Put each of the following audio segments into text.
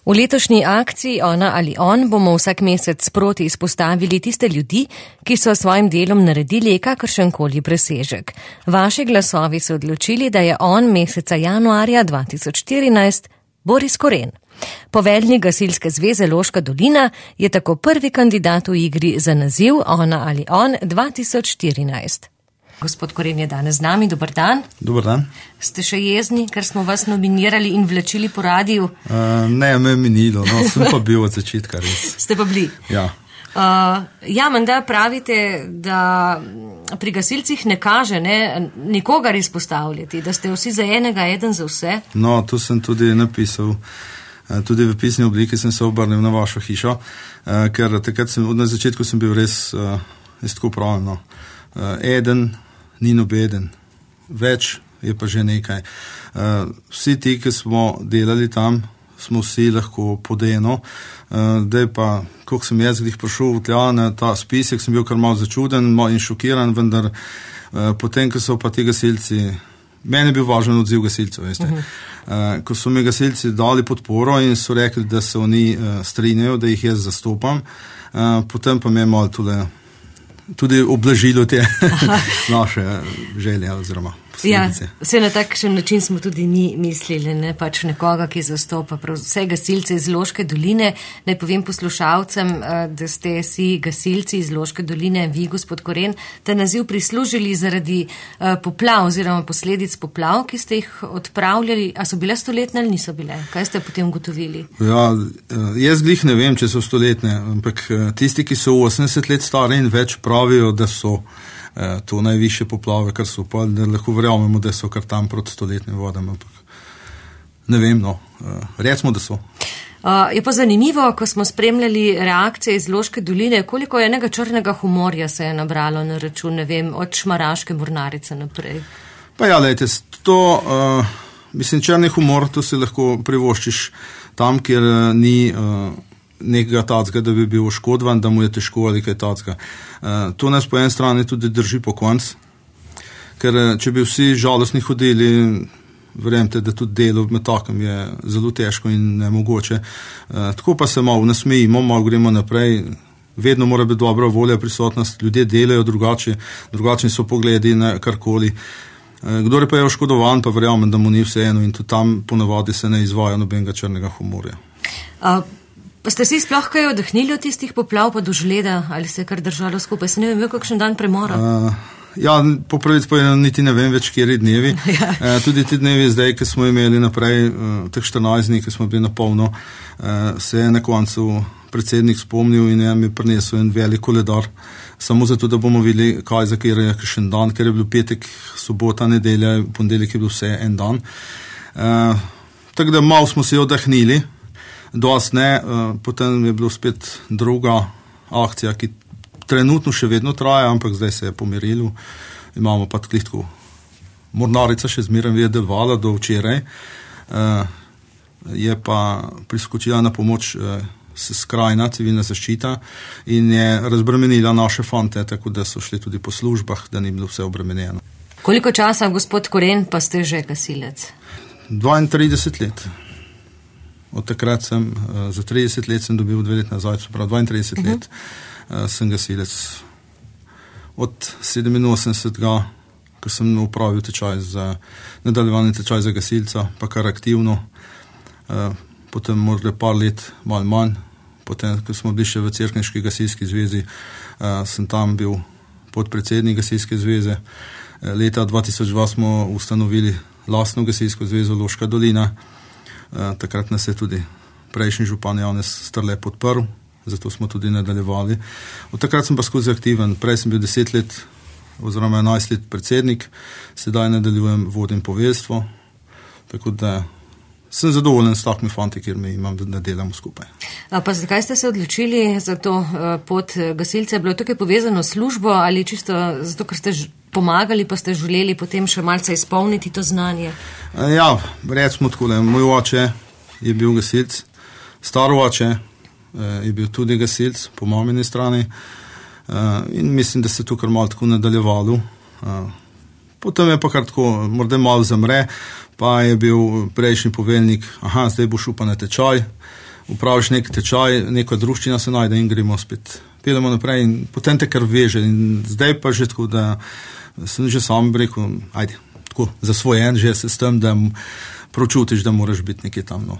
V letošnji akciji Ona ali on bomo vsak mesec sproti izpostavili tiste ljudi, ki so svojim delom naredili kakršenkoli presežek. Vaši glasovi so odločili, da je on meseca januarja 2014 Boris Koren. Poveljnik Gasilske zveze Loška dolina je tako prvi kandidat v igri za naziv Ona ali on 2014. Gospod Koren je danes z nami, dober dan. Dober dan. Ste še jezni, ker smo vas nominirali in vlačili po radiju? Ne, me je minilo, sem pa bil od začetka res. Ste pa bili? Ja. Menda pravite, da pri gasilcih ne kaže nikogar izpostavljati, da ste vsi za enega, eden za vse. No, to sem tudi napisal. Tudi v pisni obliki sem se obrnil na vašo hišo, ker takrat na začetku sem bil res tako pravno. Eden ni nobeden, več je pa že nekaj. Vsi ti, ki smo delali tam, smo vsi lahko pod eno. Daj pa, koliko sem jaz glih prišel v tja na ta spisek, sem bil kar malo začuden in šokiran, vendar potem, ko so pa ti gasilci, meni je bil važen odziv gasilcev, veste. Ko so mi gasilci dali podporo in so rekli, da se oni strinjajo, da jih jaz zastopam, potem pa mi je malo tudi oblažilo te naše želje oziroma posledice. Vse na takšen način smo tudi mi mislili, pač nekoga, ki zastopa vse gasilce iz Loške doline. Naj povem poslušalcem, da ste si gasilci iz Loške doline, vi, gospod Koren, ta naziv prislužili zaradi poplav oziroma posledic poplav, ki ste jih odpravljali. A so bile stoletne ali niso bile? Kaj ste potem ugotovili? Ja, jaz glih ne vem, če so stoletne, ampak tisti, ki so 80 let stari in več, pravijo, da so to najvišje poplave, kar so pa, da lahko verjamemo, da so kar tam proti stoletnim vodam, ampak ne vem, recimo, da so. Je pa zanimivo, ko smo spremljali reakcije iz Loške doline, koliko enega črnega humorja se je nabralo na račun, ne vem, od Šmaraške mornarice naprej. Pa ja, lejte, mislim, črni humor, to si lahko privoščiš tam, kjer ni nekega tacga, da bi bil oškodovan, da mu je težko ali kaj tacga. To nas po eni strani tudi drži po konc, ker če bi vsi žalostni hodili, verjemte, da tudi delo med takem je zelo težko in nemogoče. Tako pa se malo nasmejimo, malo gremo naprej, vedno mora biti dobra volja, prisotnost, ljudje delajo drugačni so pogledi na karkoli. Kdor pa je oškodovan, pa verjamem, da mu ni vseeno in tudi tam ponavadi se ne izvaja nobenega črnega humorja. Pa ste si sploh kaj oddahnili od tistih poplav pa do žleda, ali se je kar držalo skupaj? Se ne vem, kakšen dan premora? Po pravici pa niti ne vem več, kjeri dnevi. Tudi ti dnevi zdaj, ki smo imeli naprej, teh 14 dni, ki smo bili na polno, se je na koncu predsednik spomnil in je mi prinesel en velik koledar, samo zato, da bomo videli, kaj za kjer je kakšen dan, ker je bil petek, sobota, nedelja, ponedeljek je bil vse en dan. Tako da malo smo se oddahnili, dost ne, potem je bilo spet druga akcija, ki trenutno še vedno traja, ampak zdaj se je pomirilo. Imamo pa tako mornarica še zmeraj je delovala do včeraj, je pa priskočila na pomoč skrajna civilna zaščita in je razbremenila naše fante, tako da so šli tudi po službah, da ni bilo vse obremenjeno. Koliko časa, gospod Koren, pa ste že gasilec? 32 let. Od takrat za 30 let sem dobil 2 let nazaj, prav 32 let sem gasilec. Od 87. ko sem upravil tečaj za nadaljevanje tečaj za gasilca, pa kar aktivno, potem morda par let, malo manj, potem, ko smo bili še v Cerkniški gasilski zvezi, sem tam bil podpredsednik gasilske zveze. Leta 2002 smo ustanovili lastno gasilsko zvezo Loška dolina. Takrat nas je tudi prejšnji župan Janez Strle podprl, zato smo tudi nadaljevali. Od takrat sem pa skozi aktiven, prej sem bil 10 let oziroma 11 let predsednik, sedaj nadaljujem, vodim poveljstvo, tako da sem zadovoljen s takimi fanti, kjer mi imam, da delamo skupaj. Pa zakaj ste se odločili za to pot gasilca? Je bilo tukaj povezano s službo ali čisto zato, ker ste pomagali, pa ste želeli potem še malce izpolniti to znanje? Ja, recimo takole, moj oče je bil gasilc, star oče je bil tudi gasilc po mamini strani in mislim, da se to kar malo tako nadaljevalo. Potem je pa kar tako, morda malo zamre, pa je bil prejšnji poveljnik, zdaj boš upal na tečaj, upraviš nek tečaj, neka druščina se najde in gremo spet. Pelemo naprej in potem te kar veže. In zdaj pa že tako, da sem že sam rekel, ajde, tako zasvojen že se s tem, da pročutiš, da moraš biti nekje tam. No.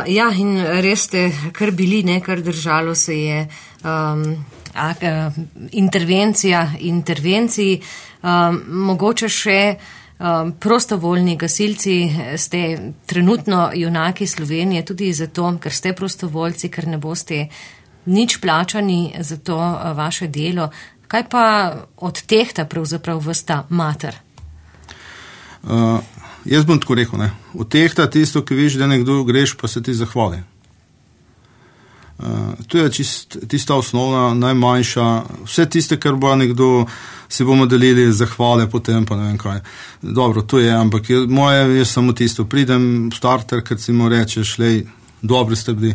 Ja, in res ste kar bili, kar držalo se je intervenciji. Mogoče še prostovoljni gasilci ste trenutno junaki Slovenije tudi zato, ker ste prostovoljci, ker ne boste nič plačani za to vaše delo. Kaj pa odtehta pravzaprav vas ta mater? Jaz bom tako rekel, odtehta tisto, ki veš, da nekdo greš, pa se ti zahvali. To je tista osnovna, najmanjša, vse tiste, kar bo nekdo, si bomo delili zahvale potem, pa ne vem kaj. Dobro, to je, ampak moje je samo tisto, pridem v starter, kad si mu rečeš, lej, dobri ste bili,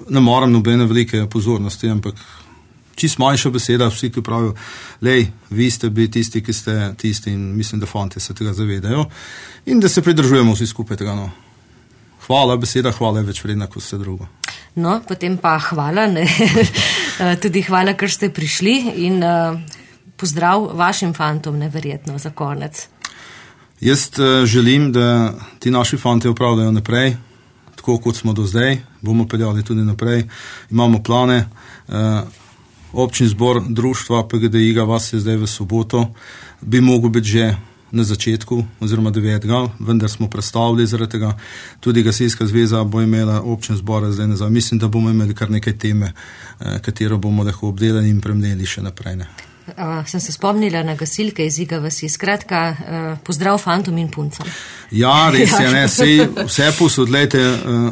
ne moram nobene velike pozornosti, ampak čist manjša beseda, vsi, ki pravijo, lej, vi ste bili tisti, ki ste tisti in mislim, da fanti se tega zavedajo in da se pridržujemo vsi skupaj tega, no. Hvala, beseda hvala je več vredna kot vse drugo. No, potem pa hvala, tudi hvala, ker ste prišli in pozdrav vašim fantom, neverjetno, za konec. Jaz želim, da ti naši fanti upravljajo naprej, tako kot smo do zdaj, bomo peljali tudi naprej, imamo plane, občin zbor društva PGDI vas je zdaj v soboto, bi mogel biti že na začetku, oziroma 9. vendar smo predstavili zaradi tega. Tudi Gasilska zveza bo imela občin zbora zdaj nazaj. Mislim, da bomo imeli kar nekaj teme, katero bomo lahko obdelali in premneli še naprej. Sem se spomnila na gasilke iz Iga vasi. Skratka, pozdrav fantom in puncam. Ja, res je, vse posodlejte,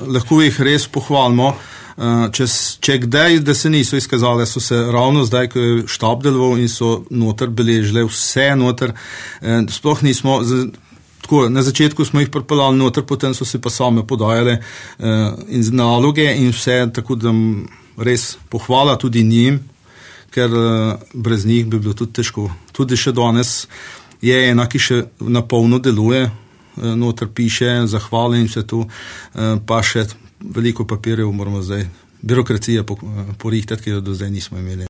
lahko jih res pohvalimo. Če kdaj, da se niso izkazali, so se ravno zdaj, ko je štab deloval in so noter beležile vse noter, sploh nismo, tako, na začetku smo jih pripeljali noter, potem so se pa same podajale in naloge in vse, tako da res pohvala tudi njim, ker brez njih bi bilo tudi težko. Tudi še danes je ena, ki še na polno deluje, noter piše, zahvale in vse to, pa še veliko papirjev moramo zdaj, birokracije porihtati, ki jo do zdaj nismo imeli.